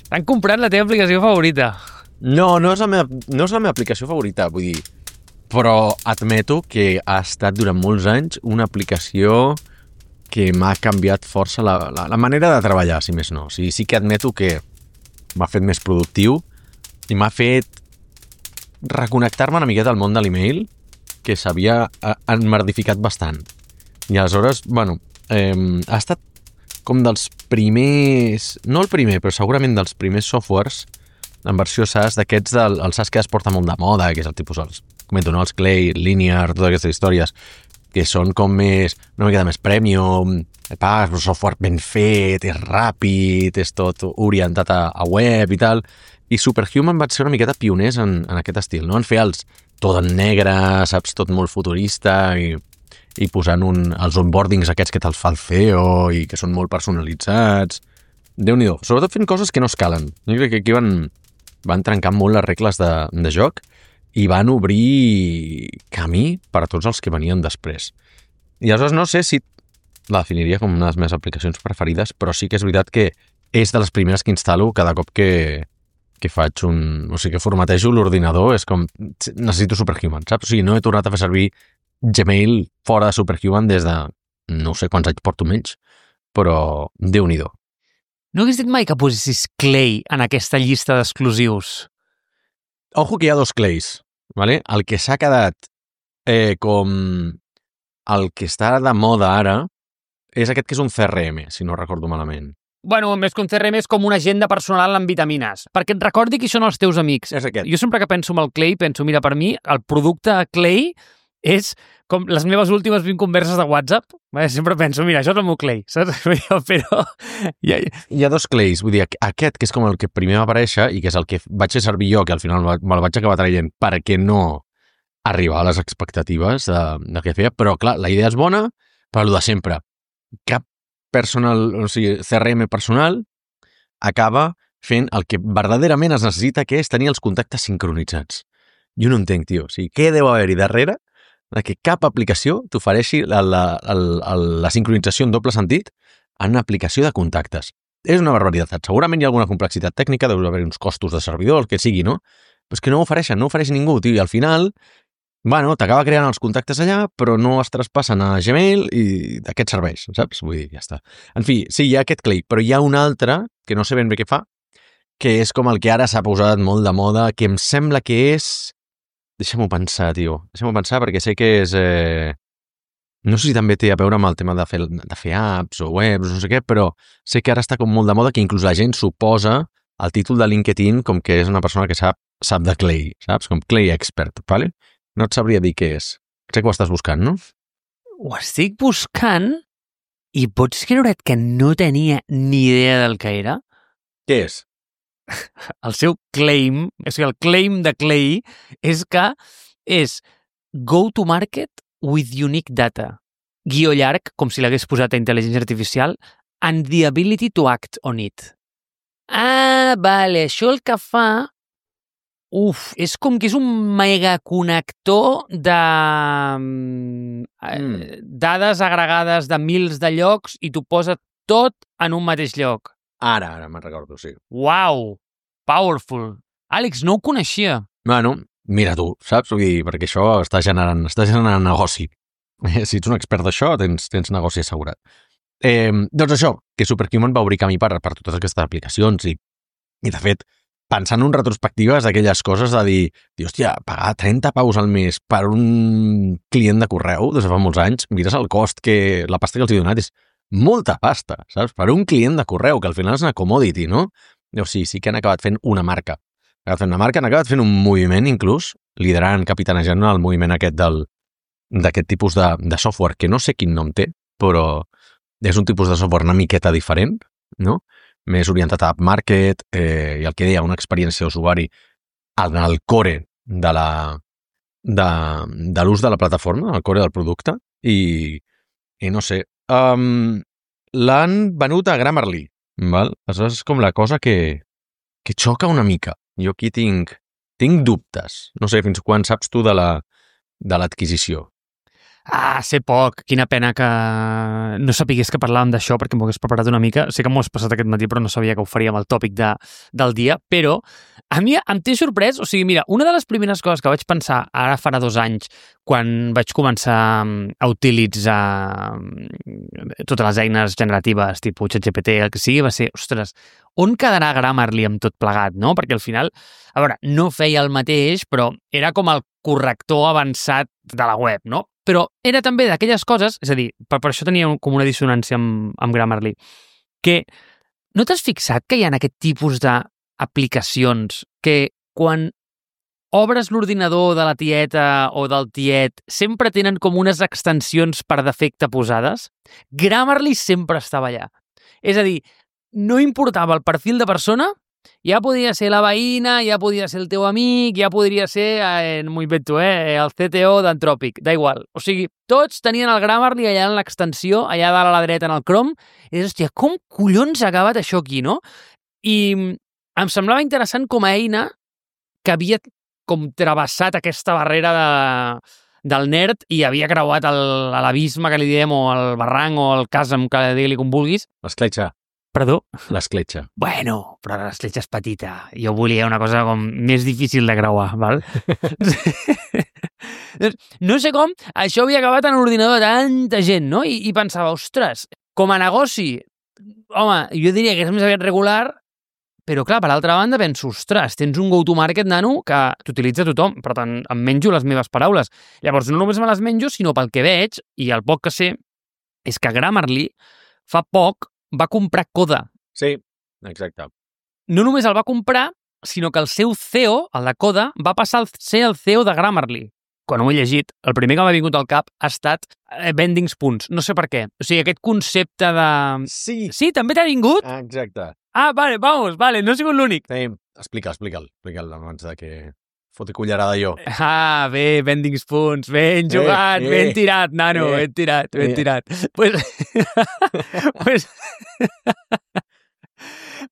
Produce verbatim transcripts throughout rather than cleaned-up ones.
T'han comprat la teva aplicació favorita. No, no és, la meva, no és la meva aplicació favorita, vull dir, però admeto que ha estat durant molts anys una aplicació que m'ha canviat força la, la, la manera de treballar, si més no. O sigui, sí que admeto que m'ha fet més productiu i m'ha fet reconnectar-me una miqueta al món de l'email, que s'havia enmerdificat bastant. I aleshores, bueno, eh, ha estat com dels primers, no el primer, però segurament dels primers softwares en versió SaaS d'aquests del el SaaS que es porta molt de moda, que és el tipus, els, comento, no? Els Clay, Linear, totes aquestes històries, que són com més, una miqueta més premium, pagues un software ben fet, és ràpid, és tot orientat a, a web i tal, i Superhuman va ser una miqueta pioners en, en aquest estil, no? En fer els tot en negre, saps, tot molt futurista i, i posant un, els onboardings aquests que te'ls fa el C E O i que són molt personalitzats. Déu-n'hi-do. Sobretot fent coses que no es calen. Jo crec que aquí van, van trencar molt les regles de, de joc i van obrir camí per a tots els que venien després. I aleshores no sé si la definiria com una de les meves aplicacions preferides, però sí que és veritat que és de les primeres que instal·lo cada cop que, que faig un... O sigui, que formatejo l'ordinador, és com... Necessito Superhuman, saps? O sigui, no he tornat a fer servir Gmail fora de Superhuman des de... No sé quants anys porto menys, però Déu-n'hi-do. No hagués dit mai que posessis Clay en aquesta llista d'exclusius. Ojo que hi ha dos Clays, ¿vale? El que s'ha quedat eh, com... El que està de moda ara és aquest que és un C R M, si no recordo malament. Bueno, més que un C R M és com una agenda personal amb vitamines, perquè et recordi qui són els teus amics. És aquest. Jo sempre que penso en el Clay, penso, mira, per mi, el producte Clay és com les meves últimes vint converses de WhatsApp. Sempre penso, mira, això és el meu Clay, saps? Però... Hi ha, hi ha dos Clays, vull dir, aquest que és com el que primer va aparèixer i que és el que vaig fer servir jo, que al final me'l vaig acabar traient perquè no arribar a les expectatives de, de què feia, però clar, la idea és bona, però el de sempre. Cap personal, o sigui, C R M personal acaba fent el que verdaderament es necessita, que és tenir els contactes sincronitzats. Jo no entenc, tio. O sigui, què deu haver-hi darrere de que cap aplicació t'ofereixi la, la, la, la sincronització en doble sentit en una aplicació de contactes? És una barbaritat. Segurament hi ha alguna complexitat tècnica, deu haver uns costos de servidor, el que sigui, no? Però és que no ho ofereixen, no ho ofereix ningú, tio. I al final, bueno, t'acaba creant els contactes allà, però no es traspassen a Gmail i d'aquest serveix, saps? Vull dir, ja està. En fi, sí, hi ha aquest Clay, però hi ha un altre, que no sé ben bé què fa, que és com el que ara s'ha posat molt de moda, que em sembla que és... Deixa'm-ho pensar, tio. Deixa'm-ho pensar perquè sé que és... Eh... No sé si també té a veure amb el tema de fer, de fer apps o webs, no sé què, però sé que ara està com molt de moda que inclús la gent suposa el títol de LinkedIn com que és una persona que sap, sap de Clay, saps? Com Clay Expert, ¿vale? No et sabria dir què és. Sé que ho estàs buscant, no? Ho estic buscant i pots creure't que no tenia ni idea del que era? Què és? El seu claim, o sigui, el claim de Clay és que és go to market with unique data, guió llarg, com si l'hagués posat a intel·ligència artificial, and the ability to act on it. Ah, vale, això el que fa... Uf, és com que és un megaconnector de mm. dades agregades de mils de llocs i t'ho posa tot en un mateix lloc. Ara, ara me'n recordo, sí. Uau, powerful. Àlex, no ho coneixia. Bueno, mira tu, saps? Vull dir, perquè això està generant, està generant negoci. Si ets un expert d'això, tens, tens negoci assegurat. Eh, doncs això, que Superhuman va obrir camí per, per totes aquestes aplicacions i, i de fet, pensant en retrospectives d'aquelles coses de dir, dir, hòstia, pagar trenta paus al mes per un client de correu des de fa molts anys, mires el cost que la pasta que els he donat és molta pasta, saps? Per un client de correu, que al final és una commodity, no? O sigui, sí que han acabat fent una marca. Han acabat fent una marca, han acabat fent un moviment inclús, liderant, capitanejant el moviment aquest del, d'aquest tipus de, de software, que no sé quin nom té, però és un tipus de software una miqueta diferent, no? Més orientat a upmarket, eh, i el que deia, una experiència d'usuari en el core de la de, de l'ús de la plataforma, el core del producte, i, i no sé, um, l'han venut a Grammarly, val? Aleshores és com la cosa que, que xoca una mica. Jo aquí tinc, tinc dubtes. No sé fins quan saps tu de la, de l'adquisició. Ah, sé poc. Quina pena que no sapigués que parlàvem d'això perquè m'ho hagués preparat una mica. Sé que m'ho has passat aquest matí, però no sabia que ho faríem el tòpic de, del dia. Però a mi em té sorprès. O sigui, mira, una de les primeres coses que vaig pensar ara farà dos anys quan vaig començar a utilitzar totes les eines generatives, tipus ChatGPT, el que sigui, va ser, ostres, on quedarà Grammarly amb tot plegat, no? Perquè al final, a veure, no feia el mateix, però era com el corrector avançat de la web, no? Però era també d'aquelles coses, és a dir, per, per això tenia com una dissonància amb, amb Grammarly, que no t'has fixat que hi ha aquest tipus d'aplicacions que quan obres l'ordinador de la tieta o del tiet sempre tenen com unes extensions per defecte posades? Grammarly sempre estava allà. És a dir, no importava el perfil de persona, ja podia ser la veïna, ja podia ser el teu amic, ja podria ser, eh, no m'ho invento, eh, el C T O d'Anthropic, da igual. O sigui, tots tenien el Grammarly allà en l'extensió, allà dalt a la dreta en el Chrome, i dius, hòstia, com collons ha acabat això aquí, no? I em semblava interessant com a eina que havia com travessat aquesta barrera de, del nerd i havia creuat l'abisme que li diem, o el barranc, o el chasm, que digui-li com vulguis. L'escletxa. Perdó? L'escletxa. Bueno, però l'escletxa és petita. Jo volia una cosa com més difícil de creuar, val? No sé com, això havia acabat en l'ordinador de tanta gent, no? I, i pensava, ostres, com a negoci, home, jo diria que és més aviat regular, però clar, per l'altra banda penso, ostres, tens un go-to-market, nano, que t'utilitza tothom, per tant, em menjo les meves paraules. Llavors, no només me les menjo, sinó pel que veig, i el poc que sé, és que Grammarly fa poc va comprar Coda. Sí, exacte. No només el va comprar, sinó que el seu C E O, el de Coda, va passar a ser el C E O de Grammarly. Quan ho he llegit, el primer que m'ha vingut al cap ha estat eh, vending spoons. No sé per què. O sigui, aquest concepte de... Sí. Sí, també t'ha vingut? Ah, exacte. Ah, vale, vamos, vale, no he sigut l'únic. Sí, explica'l, explica'l, explica'l abans de que foti cullerada jo. Ah, bé, vending spoons, ben jugat, eh, ben tirat, nano, eh, ben tirat, ben eh. tirat. Pues... pues...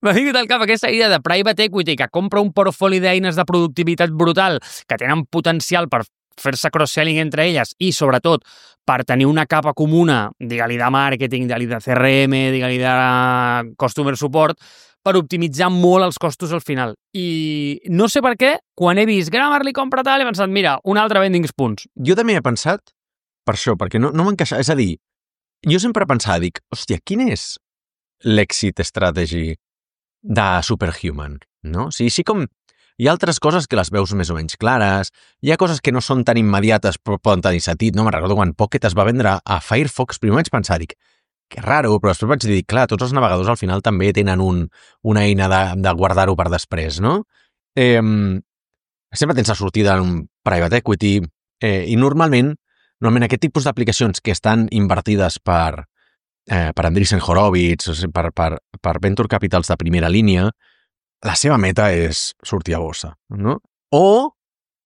M'ha vingut al cap aquesta idea de private equity que compra un portfoli d'eines de productivitat brutal que tenen potencial per fer-se cross-selling entre elles i, sobretot, per tenir una capa comuna, digue-li de màrqueting, digue-li de C R M, digue-li de customer support, per optimitzar molt els costos al final. I no sé per què, quan he vist Grammarly compra tal, he pensat, mira, un altre vending spoons. Jo també he pensat per això, perquè no, no m'encaixa. És a dir, jo sempre pensava, dic, hòstia, quin és l'exit strategy de Superhuman? No? O sigui, sí com hi ha altres coses que les veus més o menys clares, hi ha coses que no són tan immediates però poden tenir sentit, no? Me'n recordo quan Pocket es va vendre a Firefox, primer vaig pensar, dic, que raro, però després vaig dir, clar, tots els navegadors al final també tenen un, una eina de, de guardar-ho per després, no? Eh, sempre tens la sortida en un private equity eh, i normalment, normalment aquest tipus d'aplicacions que estan invertides per, eh, per Andreessen Horowitz, o sigui, per, per, per venture capitals de primera línia, la seva meta és sortir a bossa, no? O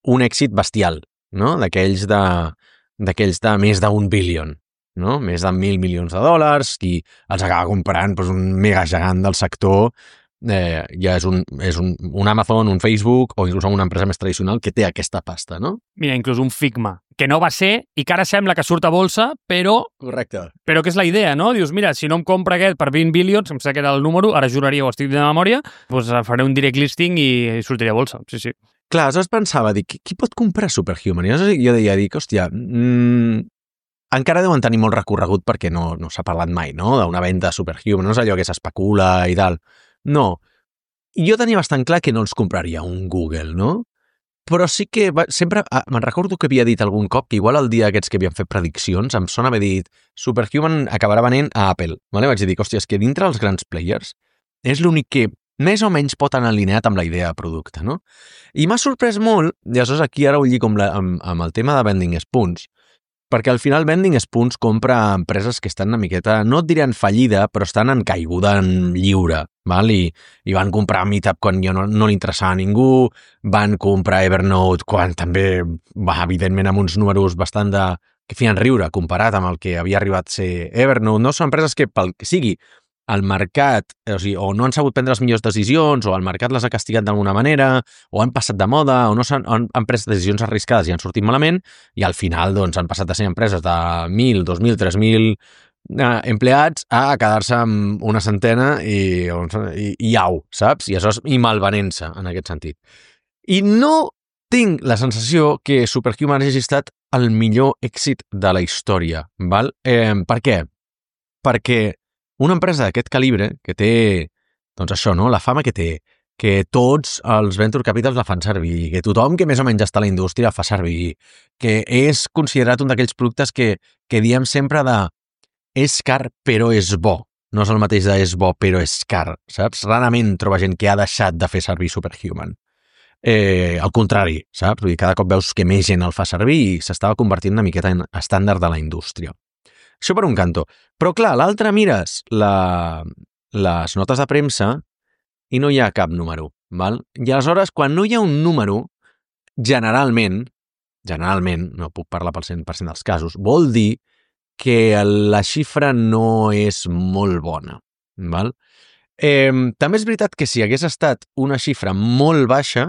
un èxit bestial, no? D'aquells de, d'aquells de més d'un billion, no? Més de mil milions de dòlars, i els acaba comprant doncs, un mega gegant del sector, eh, ja és, un, és un, un Amazon, un Facebook, o inclús una empresa més tradicional que té aquesta pasta, no? Mira, inclús un Figma, que no va ser, i que ara sembla que surt a bolsa, però... Correcte. Però que és la idea, no? Dius, mira, si no em compra aquest per vint bilions, em sé que era el número, ara juraria o estic de memòria, doncs faré un direct listing i, i sortiré a bolsa, sí, sí. Clar, aleshores pensava, dic, qui pot comprar Superhuman? I aleshores jo deia, dic, hòstia, mmm, encara deuen tenir molt recorregut perquè no, no s'ha parlat mai, no?, d'una venda Superhuman, no és allò que s'especula i tal. No. I jo tenia bastant clar que no els compraria un Google, no? Però sí que va, sempre, ah, me'n recordo que havia dit algun cop que igual el dia aquests que havien fet prediccions em sona haver dit Superhuman acabarà venent a Apple. Vale? Vaig dir, hòstia, és que dintre els grans players és l'únic que més o menys pot anar alineat amb la idea de producte, no? I m'ha sorprès molt, i aleshores aquí ara ho lligo amb, la, amb, amb el tema de Vending Spoons, perquè al final Vending Spoons compra empreses que estan una miqueta, no et diré en fallida, però estan en caiguda en lliure, val? I, i van comprar Meetup quan jo no, no li interessava a ningú, van comprar Evernote quan també, va, evidentment, amb uns números bastant de... que feien riure comparat amb el que havia arribat a ser Evernote, no? Són empreses que, pel que sigui, el mercat, o sigui, o no han sabut prendre les millors decisions, o el mercat les ha castigat d'alguna manera, o han passat de moda, o no han, han, han pres decisions arriscades i han sortit malament, i al final doncs, han passat de ser empreses de mil, dos mil, tres mil eh, empleats a quedar-se amb una centena i, i, i au, saps? I això és i malvenent-se, en aquest sentit. I no tinc la sensació que Superhuman hagi estat el millor èxit de la història, val? Eh, per què? Perquè una empresa d'aquest calibre, que té, doncs això, no? La fama que té, que tots els venture capitals la fan servir, que tothom que més o menys està a la indústria la fa servir, que és considerat un d'aquells productes que, que diem sempre de és car però és bo. No és el mateix de és bo però és car, saps? Rarament troba gent que ha deixat de fer servir Superhuman. Eh, al contrari, saps? Vull dir, cada cop veus que més gent el fa servir i s'estava convertint una miqueta en estàndard de la indústria. Això per un cantó. Però clar, l'altre mires la, les notes de premsa i no hi ha cap número, val? I aleshores, quan no hi ha un número, generalment, generalment, no puc parlar pel cent per cent dels casos, vol dir que la xifra no és molt bona, val? Eh, també és veritat que si hagués estat una xifra molt baixa,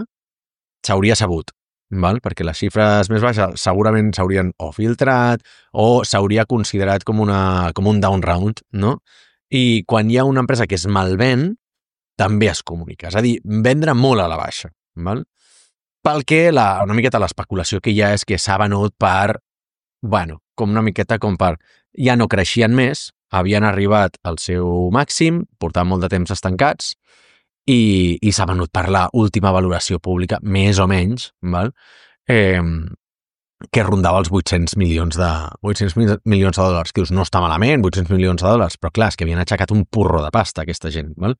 s'hauria sabut, val? Perquè les xifres més baixes segurament s'haurien o filtrat o s'hauria considerat com, una, com un down round, no? I quan hi ha una empresa que es malven, també es comunica. És a dir, vendre molt a la baixa, val? Pel que la, una miqueta l'especulació que hi ha és que s'ha venut per, bueno, com una miqueta com per, ja no creixien més, havien arribat al seu màxim, portaven molt de temps estancats, i, i s'ha venut per la última valoració pública, més o menys, val? Eh, que rondava els vuit-cents milions de vuit-cents milions de dòlars, que dius, no està malament, vuit-cents milions de dòlars, però clar, és que havien aixecat un porro de pasta aquesta gent, val?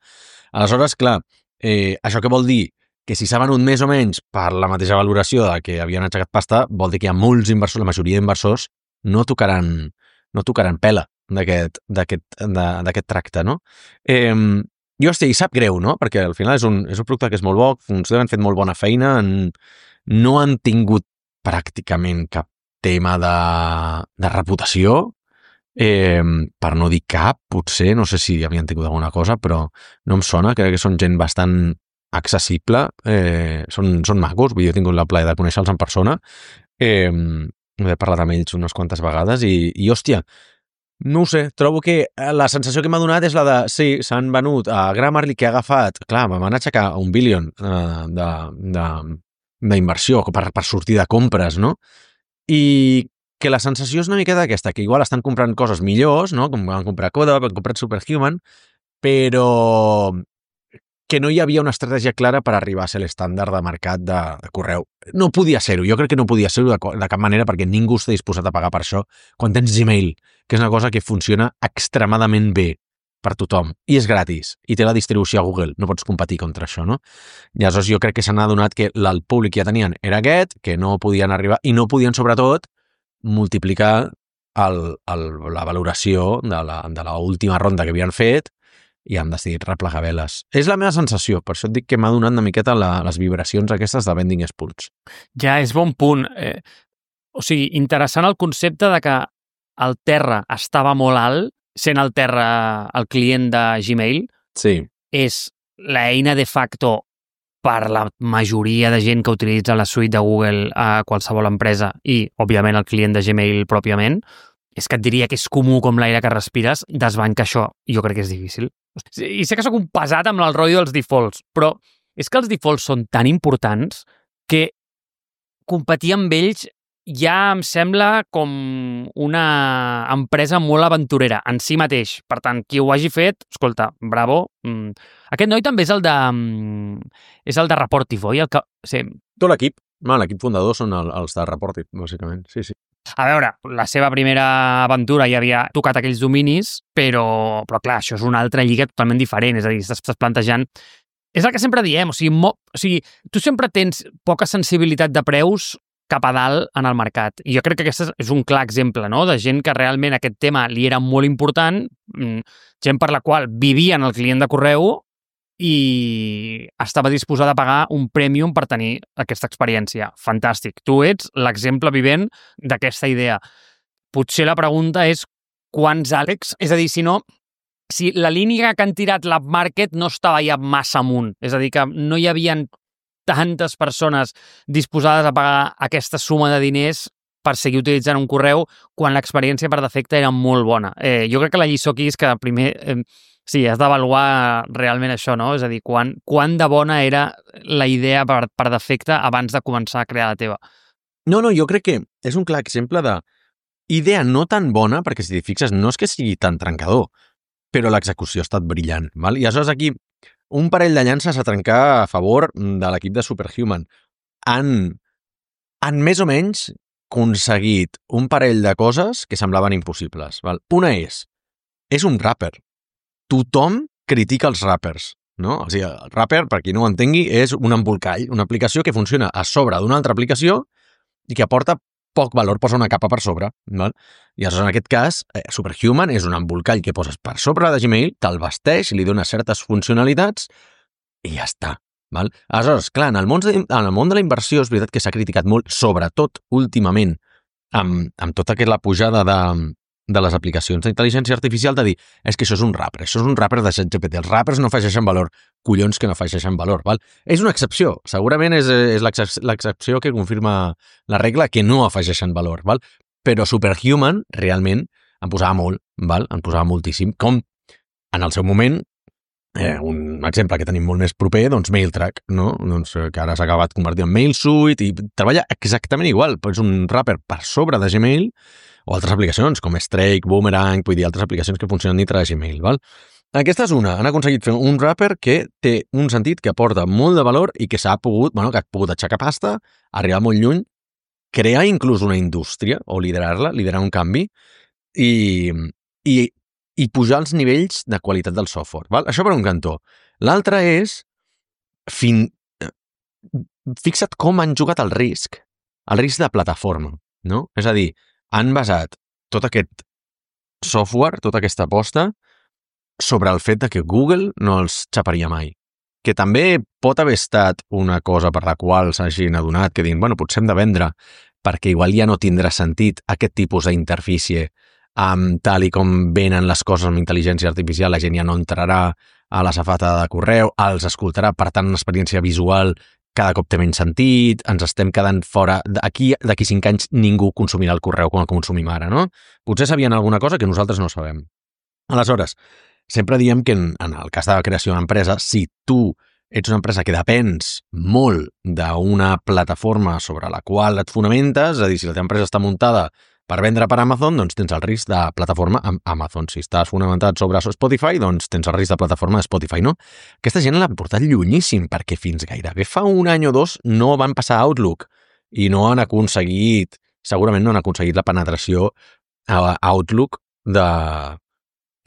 Aleshores, clar, eh, això què vol dir? Que si s'ha venut més o menys per la mateixa valoració de que havien aixecat pasta, vol dir que hi ha molts inversors, la majoria d'inversors no tocaran, no tocaran pela d'aquest d'aquest tracte, no? Eh, jo, hosti, i sap greu, no? Perquè al final és un, és un producte que és molt bo, han fet molt bona feina, en, no han tingut pràcticament cap tema de, de reputació, eh, per no dir cap, potser, no sé si havien tingut alguna cosa, però no em sona, crec que són gent bastant accessible, eh, són, són macos, jo he tingut la plaer de conèixer-los en persona, eh, he parlat amb ells unes quantes vegades i, i hòstia, no ho sé, trobo que la sensació que m'ha donat és la de, sí, s'han venut a Grammarly, que ha agafat, clar, me van aixecar un bilion eh, d'inversió per, per sortir de compres, no? I que la sensació és una miqueta aquesta, que igual estan comprant coses millors, no? Com van comprar Coda, van comprar Superhuman, però que no hi havia una estratègia clara per arribar a ser l'estàndard de mercat de, de correu. No podia ser-ho, jo crec que no podia ser-ho de, de cap manera perquè ningú està disposat a pagar per això quan tens Gmail, que és una cosa que funciona extremadament bé per tothom, i és gratis, i té la distribució a Google, no pots competir contra això, no? I aleshores jo crec que s'han adonat que el públic que ja tenien era aquest, que no podien arribar, i no podien, sobretot, multiplicar el, el, la valoració de la, de la última ronda que havien fet i han decidit replegar veles. És la meva sensació, per això et dic que m'ha donat una miqueta la, les vibracions aquestes de Vending Spoons. Ja, és bon punt. Eh, o sigui, interessant el concepte de que el terra estava molt alt, sent el terra el client de Gmail, sí. És l'eina de facto per la majoria de gent que utilitza la suite de Google a qualsevol empresa i, òbviament, el client de Gmail pròpiament. És que et diria que és comú com l'aire que respires, desbancar això, jo crec que és difícil. I sé que sóc un pesat amb el rotllo dels defaults, però és que els defaults són tan importants que competir amb ells ja em sembla com una empresa molt aventurera en si mateix. Per tant, qui ho hagi fet, escolta, bravo. Aquest noi també és el de és el de Rapportive, oi? El que... sí. Tot l'equip. L'equip fundador són els de Rapportive, bàsicament. Sí, sí. A veure, la seva primera aventura ja havia tocat aquells dominis, però, però clar, això és una altra lliga totalment diferent, és a dir, estàs plantejant... És el que sempre diem, o sigui, mo... o sigui, tu sempre tens poca sensibilitat de preus cap a dalt en el mercat. I jo crec que aquest és un clar exemple, no?, de gent que realment aquest tema li era molt important, gent per la qual vivien el client de correu i estava disposada a pagar un premium per tenir aquesta experiència. Fantàstic. Tu ets l'exemple vivent d'aquesta idea. Potser la pregunta és quants Àlex? És a dir, si no, si la línia que han tirat l'App Market no estava ja massa amunt. És a dir, que no hi havia tantes persones disposades a pagar aquesta suma de diners per seguir utilitzant un correu quan l'experiència per defecte era molt bona. Eh, jo crec que la lliçó aquí és que primer eh, sí, has d'avaluar realment això, no? És a dir, quan, quan de bona era la idea per, per defecte abans de començar a crear la teva. No, no, jo crec que és un clar exemple de idea no tan bona, perquè si t'hi fixes no és que sigui tan trencador, però l'execució ha estat brillant. Val? I aleshores aquí un parell de llances a trencar a favor de l'equip de Superhuman. Han, han més o menys aconseguit un parell de coses que semblaven impossibles. Val? Una és, és un rapper. Tothom critica els rappers, no? O sigui, el rapper, per qui no ho entengui, és un embolcall, una aplicació que funciona a sobre d'una altra aplicació i que aporta poc valor, posa una capa per sobre. Val? I aleshores, en aquest cas, eh, Superhuman és un embolcall que poses per sobre de Gmail, te'l vesteix, li dona certes funcionalitats i ja està. Val? Aleshores, clar, en el, món de, en el món de la inversió és veritat que s'ha criticat molt, sobretot últimament, amb, amb tota aquesta la pujada de, de les aplicacions d'intel·ligència artificial, de dir, és que això és un rapper, això és un rapper de ChatGPT, els rappers no afegeixen valor, collons que no afegeixen valor. Val? És una excepció, segurament és, és l'excepció que confirma la regla que no afegeixen valor, val? Però Superhuman realment en posava molt, val? En posava moltíssim, com en el seu moment, Eh, un exemple que tenim molt més proper, doncs MailTrack, no? Doncs, que ara s'ha acabat convertint en MailSuite i treballa exactament igual, però és un rapper per sobre de Gmail o altres aplicacions com Strike, Boomerang, vull dir, altres aplicacions que funcionen dintre de Gmail, val? Aquesta és una, han aconseguit fer un rapper que té un sentit que aporta molt de valor i que s'ha pogut, bueno, que ha pogut aixecar pasta, arribar molt lluny, crear inclús una indústria o liderar-la, liderar un canvi i, i i pujar els nivells de qualitat del software. Val? Això per un cantó. L'altre és fin... fixa't com han jugat el risc, el risc de plataforma, no? És a dir, han basat tot aquest software, tota aquesta aposta, sobre el fet de que Google no els xaparia mai. Que també pot haver estat una cosa per la qual s'hagin adonat, que diuen, bueno, potser hem de vendre, perquè igual ja no tindrà sentit aquest tipus d'interfície. Um, tal i com venen les coses amb intel·ligència artificial, la gent ja no entrarà a la safata de correu, els escoltarà, per tant, una experiència visual cada cop té menys sentit, ens estem quedant fora, d'aquí d'aquí cinc anys ningú consumirà el correu com el consumim ara, no? Potser sabien alguna cosa que nosaltres no sabem. Aleshores, sempre diem que en, en el cas de la creació d'una empresa, si tu ets una empresa que depens molt d'una plataforma sobre la qual et fonamentes, és a dir, si la teva empresa està muntada per vendre per Amazon, doncs tens el risc de plataforma amb Amazon. Si estàs fonamentat sobre Spotify, doncs tens el risc de plataforma de Spotify, no? Aquesta gent l'han portat llunyíssim, perquè fins gairebé fa un any o dos no van passar a Outlook i no han aconseguit, segurament no han aconseguit la penetració a Outlook de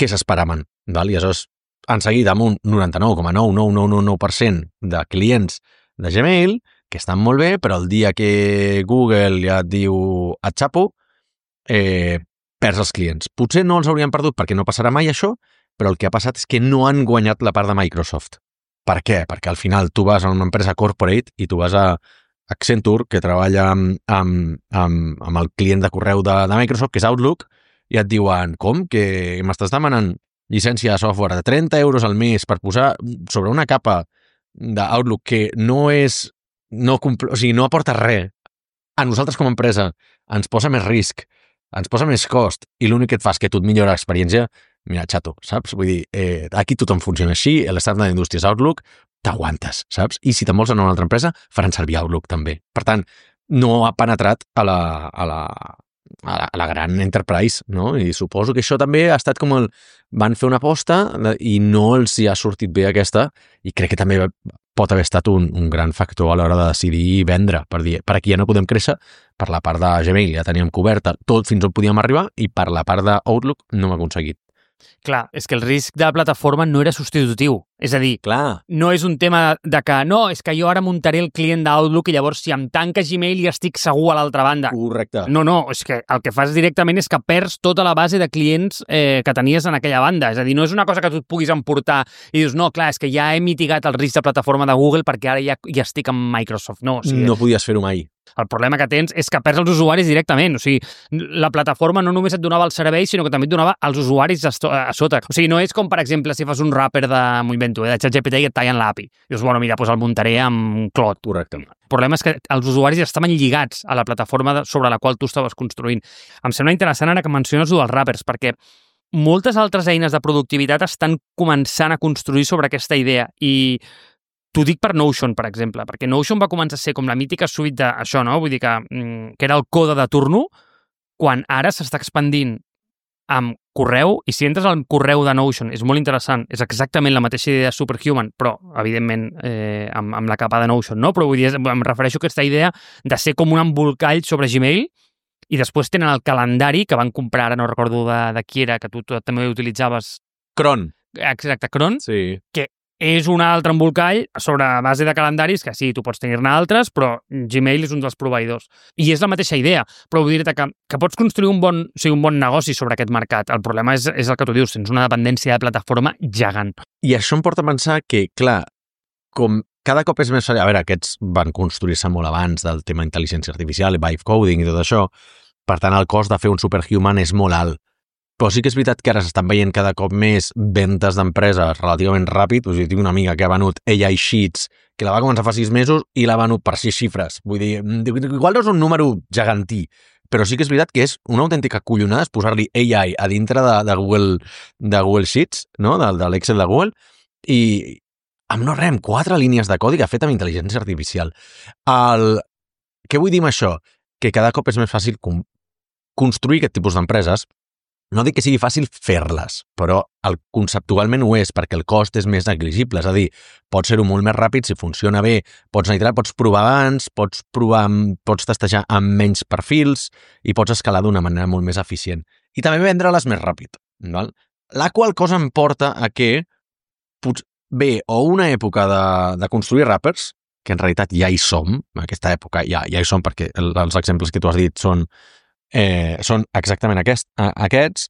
què s'esperaven, val? I aleshores han seguit amb un noranta-nou coma nou nou nou nou per cent de clients de Gmail, que estan molt bé, però el dia que Google ja et diu et xapo, Eh, perds els clients. Potser no els haurien perdut perquè no passarà mai això, però el que ha passat és que no han guanyat la part de Microsoft. Per què? Perquè al final tu vas a una empresa corporate i tu vas a Accenture, que treballa amb, amb, amb, amb el client de correu de, de Microsoft, que és Outlook, i et diuen, com? Que m'estàs demanant llicència de software de trenta euros al mes per posar sobre una capa d'Outlook que no és... No, compl- o sigui, no aporta res. A nosaltres com a empresa ens posa més risc, ens posa més cost i l'únic que et fa és que tu et millora l'experiència, mira, xato, saps? Vull dir, eh, aquí tothom funciona així, l'estàndard d'indústria és Outlook, t'aguantes, saps? I si te'n vols anar a una altra empresa, faran servir Outlook també. Per tant, no ha penetrat a la, a la, a la, a la gran enterprise, no? I suposo que això també ha estat com el... Van fer una aposta i no els hi ha sortit bé aquesta i crec que també pot haver estat un, un gran factor a l'hora de decidir vendre, per dir, per aquí ja no podem créixer, per la part de Gmail ja teníem coberta tot fins on podíem arribar i per la part d'Outlook no hem aconseguit. Clar, és que el risc de la plataforma no era substitutiu. És a dir, Clar. no és un tema de que no, és que jo ara muntaré el client d'Outlook i llavors si em tanca Gmail ja estic segur a l'altra banda. Correcte. No, no, és que el que fas directament és que perds tota la base de clients eh, que tenies en aquella banda. És a dir, no és una cosa que tu et puguis emportar i dius, no, clar, és que ja he mitigat el risc de plataforma de Google perquè ara ja, ja estic amb Microsoft. No, o sigui, no podies fer-ho mai. El problema que tens és que perds els usuaris directament. O sigui, la plataforma no només et donava el servei, sinó que també et donava els usuaris a, a sota. O sigui, no és com, per exemple, si fas un wrapper de, m'ho invento, eh, de ChatGPT i et tallen l'A P I. Dius, bueno, mira, doncs el muntaré amb Claude. Correcte. El problema és que els usuaris estaven lligats a la plataforma de, sobre la qual tu estaves construint. Em sembla interessant ara que menciones el dels wrappers, perquè moltes altres eines de productivitat estan començant a construir sobre aquesta idea i t'ho dic per Notion, per exemple, perquè Notion va començar a ser com la mítica suite d'això, no? Vull dir que, que era el code de turno, quan ara s'està expandint amb correu, i si entres al correu de Notion, és molt interessant, és exactament la mateixa idea de Superhuman, però, evidentment, eh, amb, amb la capa de Notion, no? Però vull dir, em refereixo a aquesta idea de ser com un embolcall sobre Gmail, i després tenen el calendari que van comprar, ara no recordo de, de qui era, que tu, tu també utilitzaves. Cron. Exacte, Cron, sí. Que és un altre embolcall sobre base de calendaris, que sí, tu pots tenir-ne altres, però Gmail és un dels proveïdors. I és la mateixa idea, però vull dir-te que, que pots construir un bon, o sigui, un bon negoci sobre aquest mercat. El problema és, és el que tu dius, tens una dependència de plataforma gegant. I això em porta a pensar que, clar, com cada cop és més... A veure, aquests van construir-se molt abans del tema intel·ligència artificial, vibe coding i tot això, per tant, el cost de fer un superhuman és molt alt. Però sí que és veritat que ara s'estan veient cada cop més ventes d'empreses relativament ràpid. O sigui, tinc una amiga que ha venut A I Sheets, que la va començar fa sis mesos i l'ha venut per sis xifres. Vull dir, igual no és un número gegantí, però sí que és veritat que és una autèntica collonada posar-li A I a dintre de, de, Google, de Google Sheets, no? de, de l'Excel de Google, i amb no res, amb quatre línies de codi que ha fet amb intel·ligència artificial. El... Què vull dir amb això? Que cada cop és més fàcil com... construir aquest tipus d'empreses. No dic que sigui fàcil fer-les, però el, conceptualment ho és, perquè el cost és més negligible. És a dir, pots ser-ho molt més ràpid, si funciona bé, pots anar, pots provar abans, pots provar, pots testejar amb menys perfils i pots escalar d'una manera molt més eficient. I també vendre-les més ràpid. Val? La qual cosa em porta a que bé, o una època de, de construir wrappers, que en realitat ja hi som, en aquesta època ja, ja hi som, perquè els exemples que tu has dit són Eh, són exactament aquest, aquests.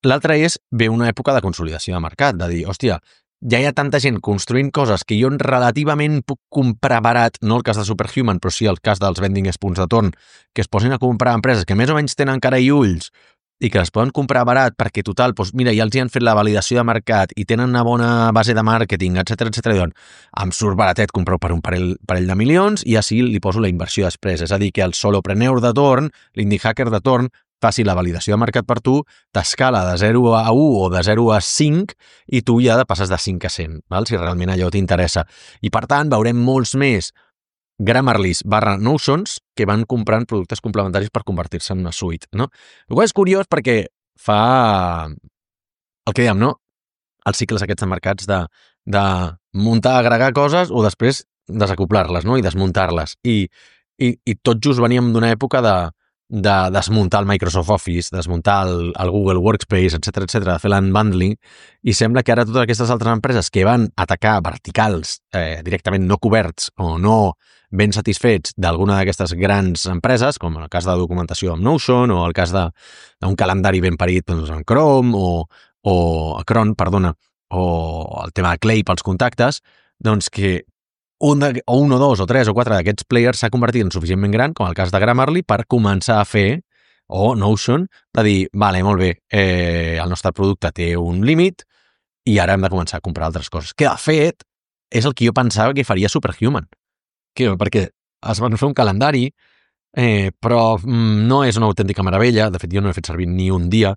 L'altre és ve una època de consolidació de mercat, de dir, hòstia, ja hi ha tanta gent construint coses que jo relativament puc comprar barat, no el cas de Superhuman, però sí el cas dels vending punts de torn, que es posin a comprar empreses que més o menys tenen cara i ulls i que les poden comprar barat perquè, total, doncs, mira, ja els hi han fet la validació de mercat i tenen una bona base de màrqueting, etcètera, etcètera, doncs em surt baratet comprar per un parell, parell de milions i així li poso la inversió després. És a dir, que el solopreneur de torn, l'indie hacker de torn, faci la validació de mercat per tu, t'escala de zero a u o de zero a cinc i tu ja passes de cinc a cent, val? Si realment allò t'interessa. I, per tant, veurem molts més Grammarlys barra Notions que van comprant productes complementaris per convertir-se en una suite, no? El qual és curiós perquè fa el que dèiem, no? Els cicles aquests de mercats de, de muntar, agregar coses o després desacoplar-les, no? I desmuntar-les. I, i, i tot just veníem d'una època de, de desmuntar el Microsoft Office, desmuntar el, el Google Workspace, etcètera, etcètera, de fer l'unbundling, i sembla que ara totes aquestes altres empreses que van atacar verticals eh, directament no coberts o no ben satisfets d'alguna d'aquestes grans empreses, com el cas de documentació amb Notion o el cas d'un calendari ben parit doncs, en Chrome o, o Cron, perdona, o el tema de Clay pels contactes, doncs que un, de, o un o dos o tres o quatre d'aquests players s'ha convertit en suficientment gran, com el cas de Grammarly, per començar a fer, o Notion, de dir, vale, molt bé, eh, el nostre producte té un límit i ara hem de començar a comprar altres coses. Que, de fet, és el que jo pensava que faria Superhuman. Que, perquè es van fer un calendari, eh, però mm, no és una autèntica meravella. De fet, jo no he fet servir ni un dia,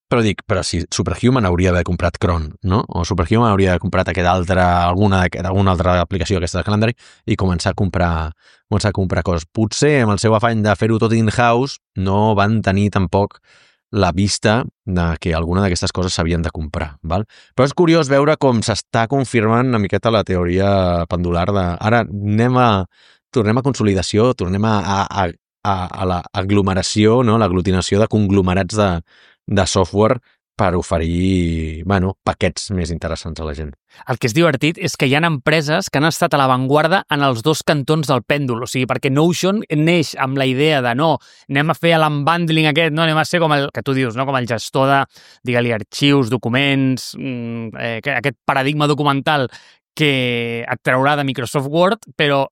però dic, però si Superhuman hauria d'haver comprat Cron, no? O Superhuman hauria d'haver comprat aquesta altra, alguna, alguna altra aplicació aquesta del calendari i començar a comprar començar a comprar coses. Potser amb el seu afany de fer-ho tot in-house no van tenir tampoc la vista de que alguna d'aquestes coses s'havien de comprar, val? Però és curiós veure com s'està confirmant una miqueta la teoria pendular de ara anem a, tornem a consolidació, tornem a, a, a, a l'aglomeració, no? L'aglutinació de conglomerats de, de software per oferir, bueno, paquets més interessants a la gent. El que és divertit és que hi ha empreses que han estat a l'avantguarda en els dos cantons del pèndol, o sigui, perquè Notion neix amb la idea de no, anem a fer l'unbundling aquest, no, anem a ser com el que tu dius, no, com el gestor de, digue-li, arxius, documents, eh, aquest paradigma documental que et traurà de Microsoft Word, però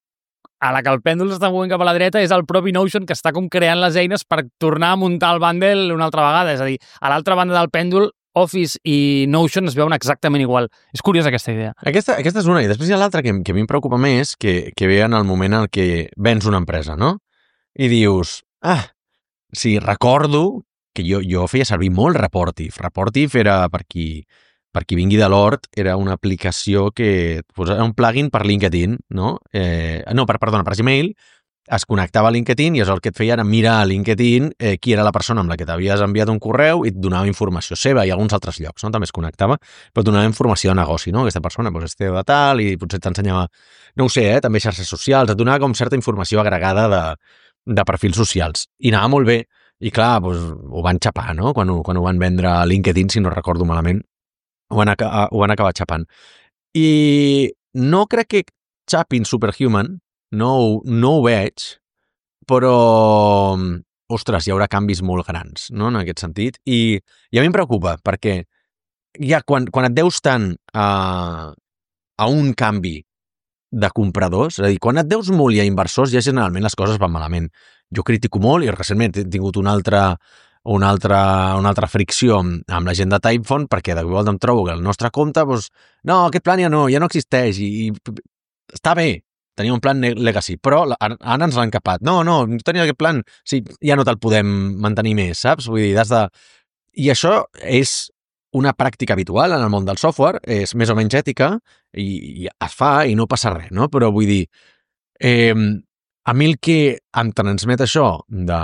a la que el pèndol s'està movent cap a la dreta és el propi Notion que està com creant les eines per tornar a muntar el bundle una altra vegada. És a dir, a l'altra banda del pèndol, Office i Notion es veuen exactament igual. És curiosa aquesta idea. Aquesta, aquesta és una, i després hi ha l'altra que, que a mi em preocupa més, que, que ve en el moment en què vens una empresa, no? I dius, ah, sí, recordo que jo, jo feia servir molt Reportive. Reportive era, per qui, per qui vingui de l'Hort, era una aplicació que pues, era un plugin per LinkedIn, no? Eh, no, per, perdona, per Gmail, es connectava a LinkedIn i el que et feia era mirar a LinkedIn eh, qui era la persona amb la que t'havies enviat un correu i et donava informació seva i alguns altres llocs, no? També es connectava, però et donava informació de negoci, no? Aquesta persona doncs, és teu de tal i potser t'ensenyava, no ho sé, eh? També xarxes socials, et donava com certa informació agregada de, de perfils socials. I anava molt bé. I clar, doncs, ho van xapar, no? Quan ho, quan ho van vendre a LinkedIn, si no recordo malament, ho van, aca ho van acabar xapant. I no crec que xapin Superhuman, no, no ho veig, però, ostres, hi haurà canvis molt grans, no?, en aquest sentit. I, i a mi em preocupa, perquè ja quan, quan et deus tant a, a un canvi de compradors, és a dir, quan et deus molt i a inversors, ja generalment les coses van malament. Jo critico molt i recentment he tingut una altra, una altra, una altra fricció amb, amb la gent de Typeform perquè de volta em trobo que el nostre compte, doncs, no, aquest plan ja no, ja no existeix i, i està bé, tenia un plan legacy, però ara ens l'han capat. No, no, no tenia aquest plan, sí, ja no te'l podem mantenir més, saps? Vull dir, has de... I això és una pràctica habitual en el món del software, és més o menys ètica, i, i es fa i no passa res, no? Però vull dir, eh, a mi el que em transmet això de,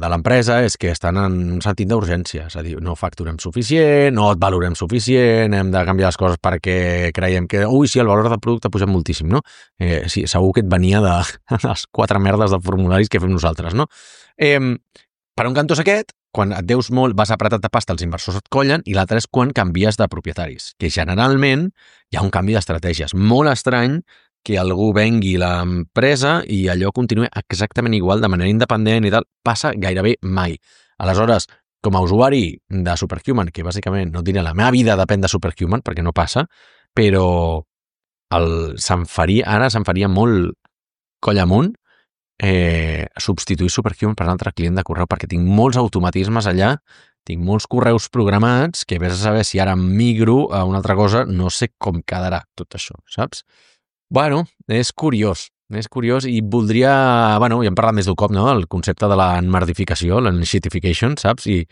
de l'empresa és que estan en un sentit d'urgència, és a dir, no facturem suficient, no et valorem suficient, hem de canviar les coses perquè creiem que, ui, sí, el valor del producte ha pujat moltíssim, no? Eh, sí, segur que et venia de les quatre merdes de formularis que fem nosaltres, no? Eh, per un cantó és aquest, quan et deus molt, vas apretat de pasta, els inversors et collen, i l'altre és quan canvies de propietaris, que generalment hi ha un canvi d'estratègies. Molt estrany que algú vengui l'empresa i allò continua exactament igual, de manera independent i tal, passa gairebé mai. Aleshores, com a usuari de Superhuman, que bàsicament no diré la meva vida depèn de Superhuman, perquè no passa, però el, se'm faria, ara se'm faria molt coll amunt eh, substituir Superhuman per un altre client de correu, perquè tinc molts automatismes allà, tinc molts correus programats que vés a saber si ara migro a una altra cosa, no sé com quedarà tot això, saps? Bueno, és curiós, és curiós i voldria, bueno, ja hem parlat més d'un cop, no?, el concepte de la enmardificació, l'enshitification, saps? I,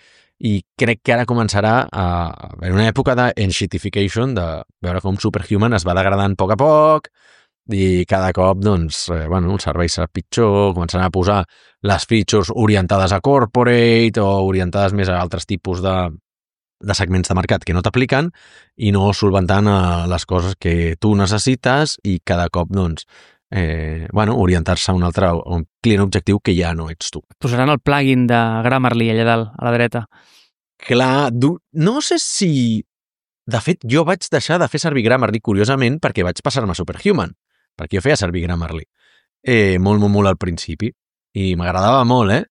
I crec que ara començarà a haver una època d'enshitification, de veure com Superhuman es va degradant a poc a poc i cada cop, doncs, eh, bueno, el servei serà pitjor, començaran a posar les features orientades a corporate o orientades més a altres tipus de de segments de mercat que no t'apliquen i no solventant a les coses que tu necessites i cada cop, doncs, eh, bueno, orientar-se a un altre a un client objectiu que ja no ets tu. Posaran el plugin de Grammarly allà dalt, a la dreta. Clar, no sé si... De fet, jo vaig deixar de fer servir Grammarly, curiosament, perquè vaig passar-me a Superhuman, perquè jo feia servir Grammarly. Eh, molt, molt, molt al principi. I m'agradava molt, eh?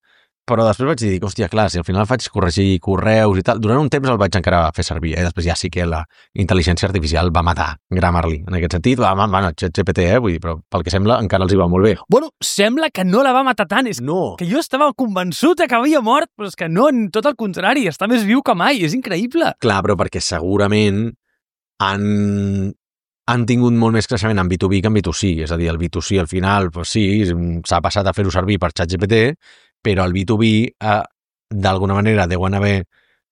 Però després vaig dir, hòstia, clar, si al final faig corregir correus i tal, durant un temps el vaig encara fer servir, eh? Després ja sí que la intel·ligència artificial va matar Grammarly, en aquest sentit, va, bueno, ChatGPT, eh? Vull dir, però pel que sembla encara els hi va molt bé. Bueno, sembla que no la va matar tant, és no. que jo estava convençut que havia mort, però és que no, tot el contrari, està més viu que mai, és increïble. Clar, però perquè segurament han, han tingut molt més creixement en B dos B que en B dos C, és a dir, el B dos C al final, pues sí, s'ha passat a fer-ho servir per ChatGPT, però el B dos B, eh, d'alguna manera, deuen haver...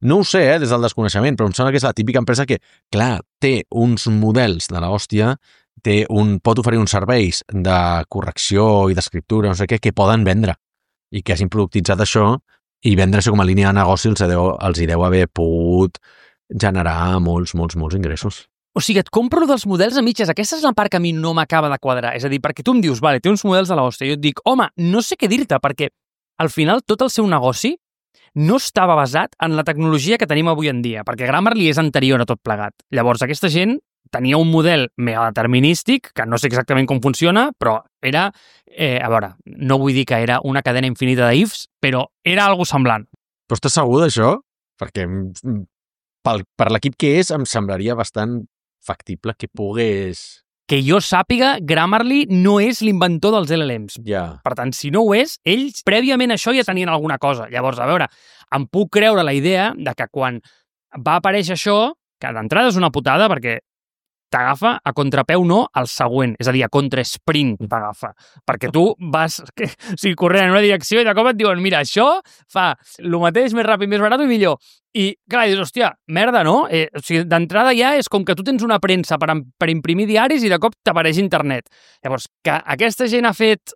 No ho sé, eh, des del desconeixement, però em sembla que és la típica empresa que, clar, té uns models de l'hòstia, té un, pot oferir uns serveis de correcció i d'escriptura, no sé què, que poden vendre, i que hagin productitzat això, i vendre això com a línia de negoci els deu, els hi deu haver pogut generar molts, molts, molts ingressos. O sigui, et compro dels models a mitges. Aquesta és la part que a mi no m'acaba de quadrar. És a dir, perquè tu em dius, vale, té uns models de l'hòstia, i jo et dic, home, no sé què dir-te, perquè al final tot el seu negoci no estava basat en la tecnologia que tenim avui en dia, perquè Grammarly és anterior a tot plegat. Llavors, aquesta gent tenia un model mega determinístic, que no sé exactament com funciona, però era, eh, a veure, no vull dir que era una cadena infinita d'ifs, però era algo semblant. Però estàs segur d'això? Perquè pel, per l'equip que és em semblaria bastant factible que pogués... que jo sàpiga, Grammarly no és l'inventor dels L L Ms. Ja. Per tant, si no ho és, ells prèviament a això ja tenien alguna cosa. Llavors, a veure, em puc creure la idea de que quan va aparèixer això, que d'entrada és una putada perquè t'agafa a contrapeu no al següent, és a dir, a contrasprint t'agafa, perquè tu vas que, o sigui, corrent en una direcció i de cop et diuen, mira, això fa el mateix, més ràpid, més barat i millor. I, clar, dius, hòstia, merda, no? Eh, o sigui, d'entrada ja és com que tu tens una premsa per, per imprimir diaris i de cop t'apareix internet. Llavors, que aquesta gent ha fet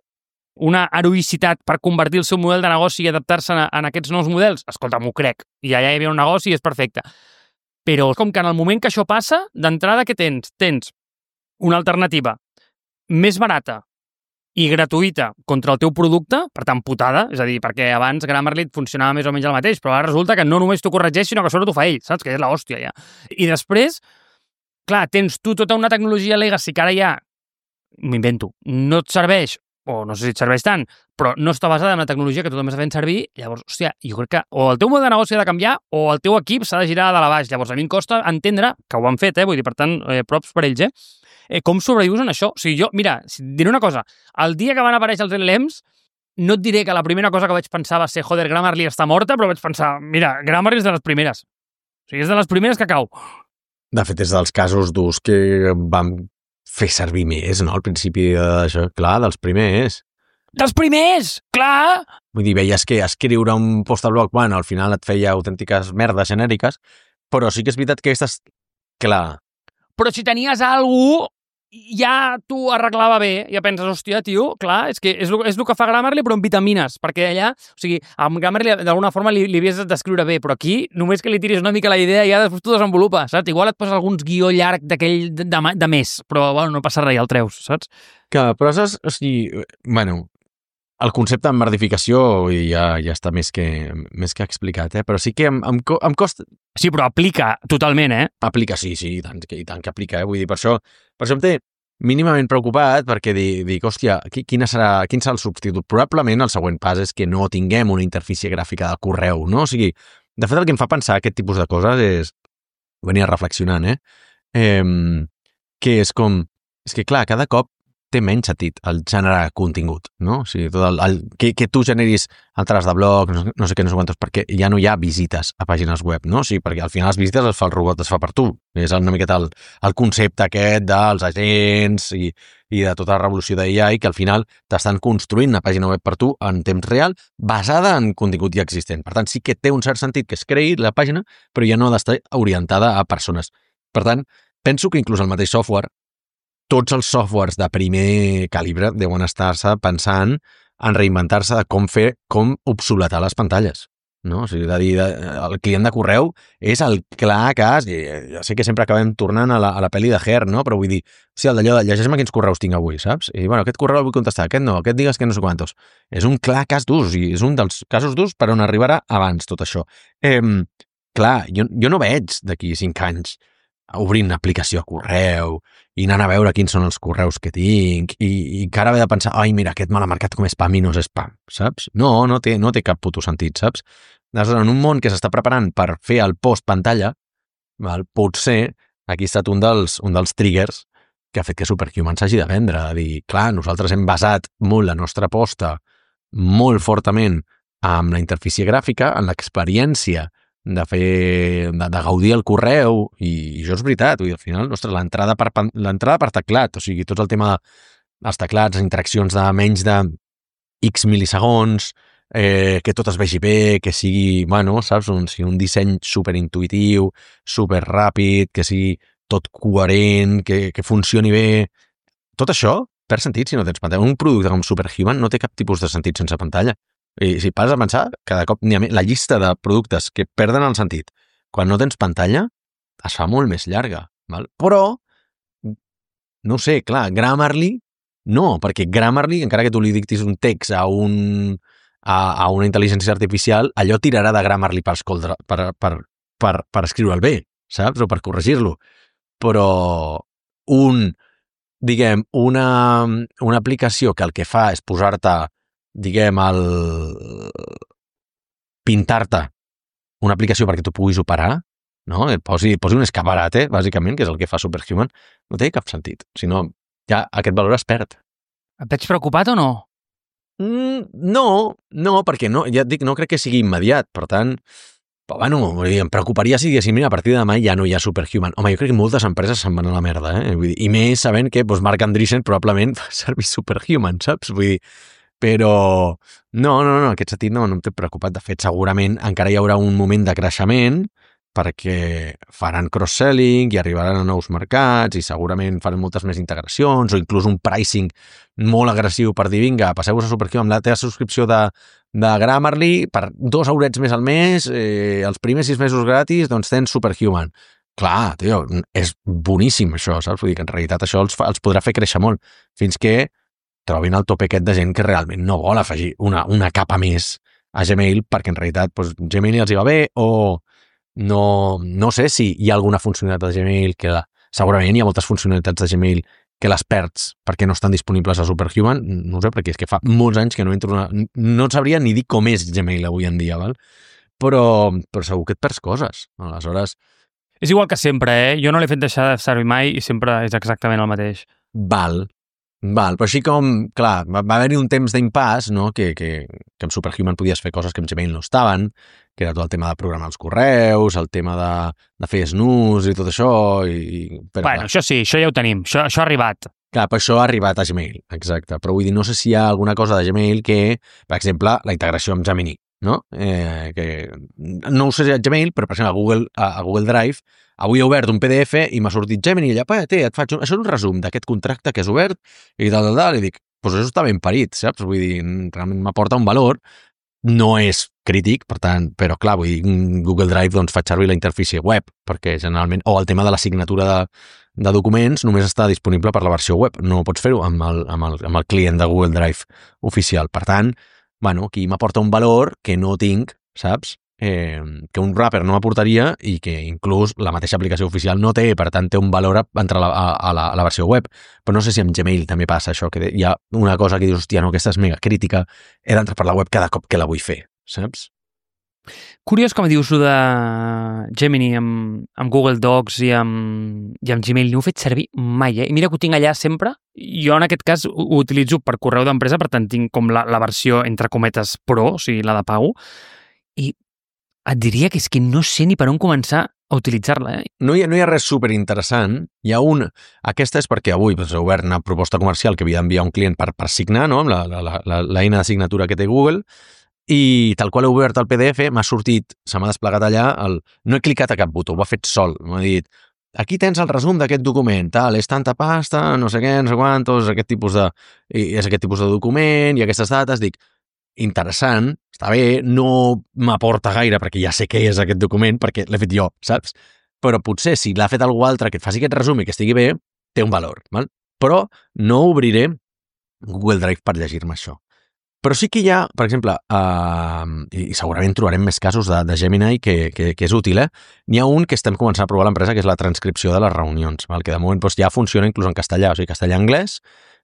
una heroïcitat per convertir el seu model de negoci i adaptar-se en, en aquests nous models, escolta, m'ho crec. I allà hi havia un negoci i és perfecte. Però com que en el moment que això passa, d'entrada què tens? Tens una alternativa més barata i gratuïta contra el teu producte, per tant, putada, és a dir, perquè abans Grammarly funcionava més o menys el mateix, però ara resulta que no només t'ho corregeix, sinó que sobre t'ho fa ell, saps? Que és l'hòstia, ja. I després, clar, tens tu tota una tecnologia legacy que ara ja, m'invento, no et serveix, o no sé si et serveix tant, però no està basada en la tecnologia que tothom està fent servir, llavors, hòstia, jo crec que o el teu model de negoci ha de canviar o el teu equip s'ha de girar de la baix. Llavors, a mi em costa entendre, que ho han fet, eh? Vull dir, per tant, eh, props per ells, eh? eh? Com sobrevius en això? O sigui, jo, mira, diré una cosa, el dia que van aparèixer els L L Ms, no et diré que la primera cosa que vaig pensar va ser, joder, Grammarly està morta, però vaig pensar, mira, Grammarly és de les primeres. O sigui, és de les primeres que cau. De fet, és dels casos d'ús que vam fer servir més, no? Al principi d'això, clar, dels primers. Dels primers! Clar! Vull dir, veies que escriure un post al blog, bueno, al final et feia autèntiques merdes genèriques, però sí que és veritat que aquestes, clar. Però si tenies algú, ja t'ho arreglava bé, ja penses, hòstia, tio, clar, és que és el, és el que fa Grammarly, però amb vitamines, perquè allà, o sigui, amb Grammarly d'alguna forma li, li havies d'escriure bé, però aquí només que li tiris una mica la idea ja després t'ho desenvolupa, saps? Igual et poses alguns guió llarg d'aquell de, de, de més, però bueno, no passa res, ja el treus, saps? Que, però saps, o sigui, bueno, el concepte de merdificació ja, ja està més que, més que explicat, eh? Però sí que em, em, em costa... Sí, però aplica totalment, eh? Aplica, sí, sí, i tant, i tant que aplica, eh? Vull dir, per això, per això em té mínimament preocupat, perquè dic, dic hòstia, quina serà, quin serà el substitut? Probablement el següent pas és que no tinguem una interfície gràfica de correu, no? O sigui, de fet, el que em fa pensar aquest tipus de coses és, venia reflexionant, eh? eh que és com, és que clar, cada cop té menys sentit el generar contingut, no? O sigui, tot el, el, que, que tu generis altres de blog, no, no sé què, no sé quantos, perquè ja no hi ha visites a pàgines web, no? O sigui, perquè al final les visites les fa el robot, les fa per tu. És una miqueta el, el concepte aquest dels agents i, i de tota la revolució d'A I, que al final t'estan construint una pàgina web per tu en temps real basada en contingut ja existent. Per tant, sí que té un cert sentit que es creï la pàgina, però ja no ha d'estar orientada a persones. Per tant, penso que inclús el mateix software, tots els softwares de primer calibre deuen estar-se pensant en reinventar-se de com fer, com obsoletar les pantalles, no? O sigui, de dir, de, el client de correu és el clar cas, i ja sé que sempre acabem tornant a la, a la pel·li de Her, no? Però vull dir, o sigui, el d'allò de llegeix-me quins correus tinc avui, saps? I, bueno, aquest correu el vull contestar, aquest no, aquest digues que no sé quantos. És un clar cas d'ús, i és un dels casos d'ús per on arribarà abans tot això. Eh, clar, jo, jo no veig d'aquí cinc anys obrint una aplicació a correu i anant a veure quins són els correus que tinc i, i encara haver de pensar, ai, mira, aquest me l'ha marcat com spam i no és spam, saps? No, no té, no té cap puto sentit, saps? En un món que s'està preparant per fer el post-pantalla, val, potser aquí ha estat un dels, un dels triggers que ha fet que Superhuman s'hagi de vendre, de dir, clar, nosaltres hem basat molt la nostra aposta molt fortament amb la interfície gràfica, en l'experiència de fer, de, de gaudir el correu, i, i això és veritat, vull dir, al final, ostres, l'entrada per, l'entrada per teclat, o sigui, tot el tema dels teclats, les interaccions de menys de X milisegons, eh, que tot es vegi bé, que sigui, bueno, saps, un, sigui un disseny superintuitiu, superràpid, que sigui tot coherent, que, que funcioni bé. Tot això perd sentit si no tens pantalla. Un producte com Superhuman no té cap tipus de sentit sense pantalla. I si passes a pensar, cada cop n'hi ha més. La llista de productes que perden el sentit quan no tens pantalla es fa molt més llarga. Val? Però, no sé, clar, Grammarly no, perquè Grammarly, encara que tu li dictis un text a, un, a, a una intel·ligència artificial, allò tirarà de Grammarly per, escoldre, per, per, per, per escriure'l bé, saps? O per corregir-lo. Però un, diguem, una, una aplicació que el que fa és posar-te, diguem, el... pintar-te una aplicació perquè tu puguis operar, no? Posi, posi un escaparate, bàsicament, que és el que fa Superhuman, no té cap sentit. Si no, ja aquest valor es perd. Et veig preocupat o no? Mm, no, no, perquè no, ja et dic, no crec que sigui immediat, per tant, però bueno, vull dir, em preocuparia si diguéssim, mira, a partir de demà ja no hi ha Superhuman. Home, jo crec que moltes empreses se'n van a la merda, eh? Vull dir, i més sabent que doncs, Marc Andreessen probablement fa servir Superhuman, saps? Vull dir, però no, no, no, en aquest sentit no, no em té preocupat. De fet, segurament encara hi haurà un moment de creixement perquè faran cross-selling i arribaran a nous mercats i segurament faran moltes més integracions o inclús un pricing molt agressiu per dir, vinga, passeu-vos a Superhuman amb la teva subscripció de, de Grammarly per dos eurets més al mes, eh, els primers sis mesos gratis, doncs tens Superhuman. Clar, tio, és boníssim això, saps? Vull dir que en realitat això els, fa, els podrà fer créixer molt fins que trobin el tope aquest de gent que realment no vol afegir una, una capa més a Gmail perquè en realitat doncs, Gmail els hi va bé o no, no sé si hi ha alguna funcionalitat de Gmail que la, segurament hi ha moltes funcionalitats de Gmail que les perds perquè no estan disponibles a Superhuman, no sé, perquè és que fa molts anys que no entro una... no sabria ni dir com és Gmail avui en dia, val? Però, però segur que et perds coses. Aleshores... És igual que sempre, eh? Jo no l'he fet deixar de servir mai i sempre és exactament el mateix. Val, val, però així com, clar, va, va haver-hi un temps d'impàs, no?, que, que, que amb Superhuman podies fer coses que amb Gmail no estaven, que era tot el tema de programar els correus, el tema de, de fer snooze i tot això. I, però, bueno, clar, això sí, això ja ho tenim, això, això ha arribat. Clar, però això ha arribat a Gmail, exacte. Però vull dir, no sé si hi ha alguna cosa de Gmail que, per exemple, la integració amb Gemini, no? Eh, que no ho sé a Gmail, però per exemple a Google, a, a Google Drive avui he obert un P D F i m'ha sortit Gemini i allà, pa, té, et faig un, això és un resum d'aquest contracte que has obert i tal, tal, tal, i dic, doncs això està ben parit, saps? Vull dir, realment m'aporta un valor, no és crític, per tant, però clar, vull dir, Google Drive doncs faig servir la interfície web, perquè generalment, o el tema de la signatura de, de documents només està disponible per la versió web, no pots fer-ho amb, el, amb, el, amb el client de Google Drive oficial, per tant, bueno, aquí m'aporta un valor que no tinc, saps? Eh, que un wrapper no m'aportaria i que inclús la mateixa aplicació oficial no té, per tant té un valor entre la, a, a, la, a la versió web. Però no sé si amb Gmail també passa això, que hi ha una cosa que dius, hòstia, no, aquesta és mega crítica, he d'entrar per la web cada cop que la vull fer, saps? Curiós com dius de Gemini amb, amb Google Docs i amb, i amb Gmail, no ho he fet servir mai, eh? I mira que ho tinc allà sempre. Jo en aquest cas ho, ho utilitzo per correu d'empresa, per tant tinc com la, la versió entre cometes pro, o sigui, la de pago, i et diria que és que no sé ni per on començar a utilitzar-la. Eh? No, hi ha, no hi ha res superinteressant. Hi ha un... Aquesta és perquè avui doncs, he obert una proposta comercial que havia d'enviar un client per, per signar, no?, amb l'eina de signatura que té Google, i tal qual he obert el P D F, m'ha sortit, se m'ha desplegat allà, el... no he clicat a cap botó, ho ha fet sol. M'ha dit, aquí tens el resum d'aquest document, tal, és tanta pasta, no sé què, no sé quantos, aquest tipus de... és aquest tipus de document i aquestes dates, dic, interessant, està bé, no m'aporta gaire perquè ja sé què és aquest document, perquè l'he fet jo, saps? Però potser si l'ha fet algú altre que et faci aquest resum i que estigui bé, té un valor, val? Però no obriré Google Drive per llegir-me això. Però sí que hi ha, per exemple, uh, i segurament trobarem més casos de, de Gemini que, que, que és útil, eh? N'hi ha un que estem començant a provar a l'empresa, que és la transcripció de les reunions, val? Que de moment doncs, ja funciona inclús en castellà, o sigui, castellà-anglès,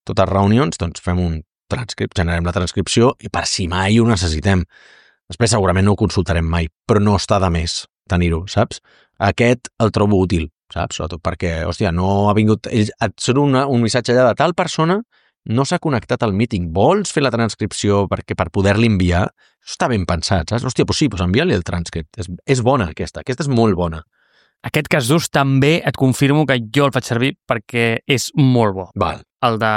totes reunions, doncs fem un transcript, generem la transcripció i per si mai ho necessitem. Després segurament no ho consultarem mai, però no està de més tenir-ho, saps? Aquest el trobo útil, saps? Sobretot perquè, hòstia, no ha vingut... Ells et surt una, un missatge allà de tal persona no s'ha connectat al meeting, vols fer la transcripció perquè per poder-li enviar? Això està ben pensat, saps? Hòstia, doncs sí, doncs envia-li el transcript. És, és bona aquesta, aquesta és molt bona. Aquest cas d'ús també et confirmo que jo el faig servir perquè és molt bo. Val. El de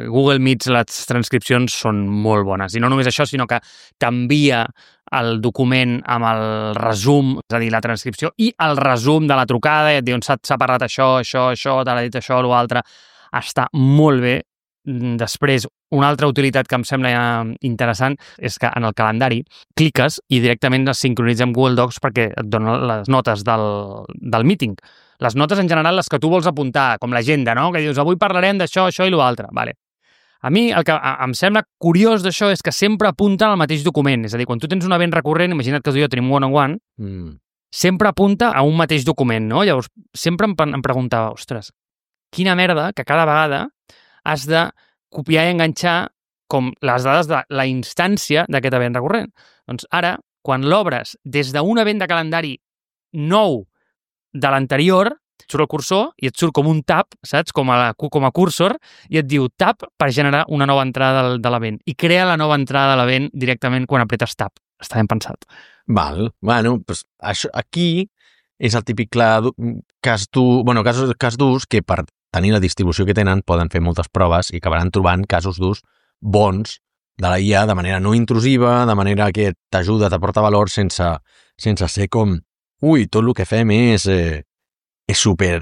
Google Meets, les transcripcions són molt bones. I no només això, sinó que t'envia el document amb el resum, és a dir, la transcripció, i el resum de la trucada, i et diuen s'ha parlat això, això, això, t'ha dit això, l'altre. Està molt bé. Després, una altra utilitat que em sembla interessant és que en el calendari cliques i directament es sincronitza amb Google Docs perquè et dona les notes del, del meeting. Les notes en general, les que tu vols apuntar, com l'agenda, no? Que dius, avui parlarem d'això, això i l'altre. Vale. A mi el que em sembla curiós d'això és que sempre apunta al mateix document. És a dir, quan tu tens un event recurrent, imagina't que tu i jo tenim one-on-one, mm. sempre apunta a un mateix document, no? Llavors, sempre em, em preguntava, ostres, quina merda que cada vegada has de copiar i enganxar com les dades de la instància d'aquest event recurrent. Doncs ara, quan l'obres des d'un event de calendari nou de l'anterior, et surt el cursor i et surt com un tab, saps? Com a, la, com a cursor, i et diu tab per generar una nova entrada de, de l'event. I crea la nova entrada de l'event directament quan apretes tab. Està ben pensat. Val. Bueno, pues, això, aquí és el típic clar, cas d'ús, bueno, cas, cas d'ús que per tenir la distribució que tenen poden fer moltes proves i acabaran trobant casos d'ús bons de la I A de manera no intrusiva, de manera que t'ajuda, t'aporta valor sense, sense ser com ui, tot el que fem és, eh, és, super,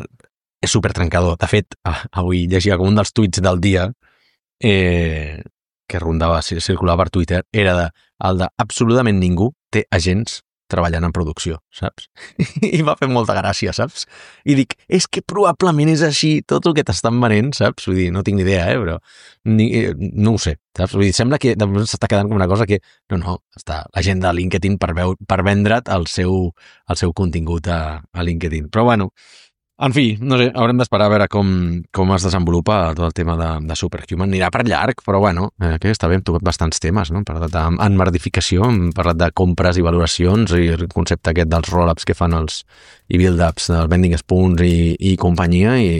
és super trencador. De fet, avui llegia com un dels tuits del dia eh, que rondava, circulava per Twitter, era de, el de absolutament ningú té agents treballant en producció, saps? I va fer molta gràcia, saps? I dic, és que probablement és així tot el que t'estan venent, saps? Vull dir, no tinc ni idea, eh, però ni, no ho sé, saps? Vull dir, sembla que s'està quedant com una cosa que, no, no, està la gent de LinkedIn per, veu, per vendre't el seu, el seu contingut a, a LinkedIn. Però bueno, en fi, no sé, haurem d'esperar a veure com, com es desenvolupa tot el tema de, de Superhuman. Anirà per llarg, però bueno, eh, que està bé, hem tocat bastants temes, no? Hem parlat d'enmerdificació, hem parlat de compres i valoracions i el concepte aquest dels roll-ups que fan els i build-ups del vending spoons i, i companyia i,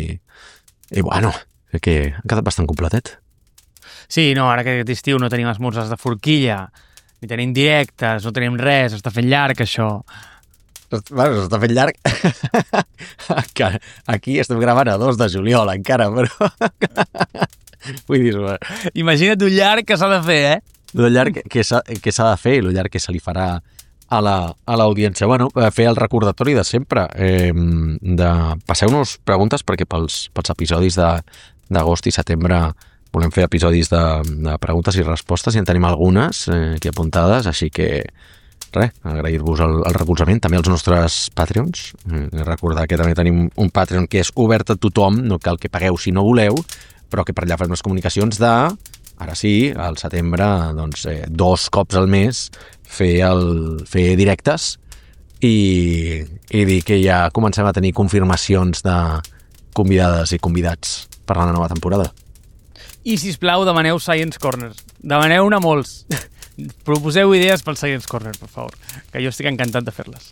i bueno, crec que ha quedat bastant completet. Sí, no, ara que aquest estiu no tenim esmorzars de forquilla, ni tenim directes, no tenim res, està fent llarg això. Bueno, s'està fent llarg. Aquí estem gravant a dos de juliol encara, però... Vull dir... Imagina't un llarg que s'ha de fer, eh? El llarg que s'ha de fer i el llarg que se li farà a l'audiència. La, bueno, fer el recordatori de sempre. Eh, de passeu-nos preguntes perquè pels, pels episodis d'agost i setembre volem fer episodis de, de preguntes i respostes i en tenim algunes eh, aquí apuntades, així que res, agrair-vos el, el recolzament, també als nostres Patreons. Eh, recordar que també tenim un Patreon que és obert a tothom, no cal que pagueu si no voleu, però que per allà fem les comunicacions de, ara sí, al setembre, doncs, eh, dos cops al mes fer, el, fer directes i, i dir que ja comencem a tenir confirmacions de convidades i convidats per a la nova temporada. I, sisplau, demaneu Science Corner. Demaneu-ne molts. Proposeu idees pel Science Corner, per favor, que jo estic encantat de fer-les.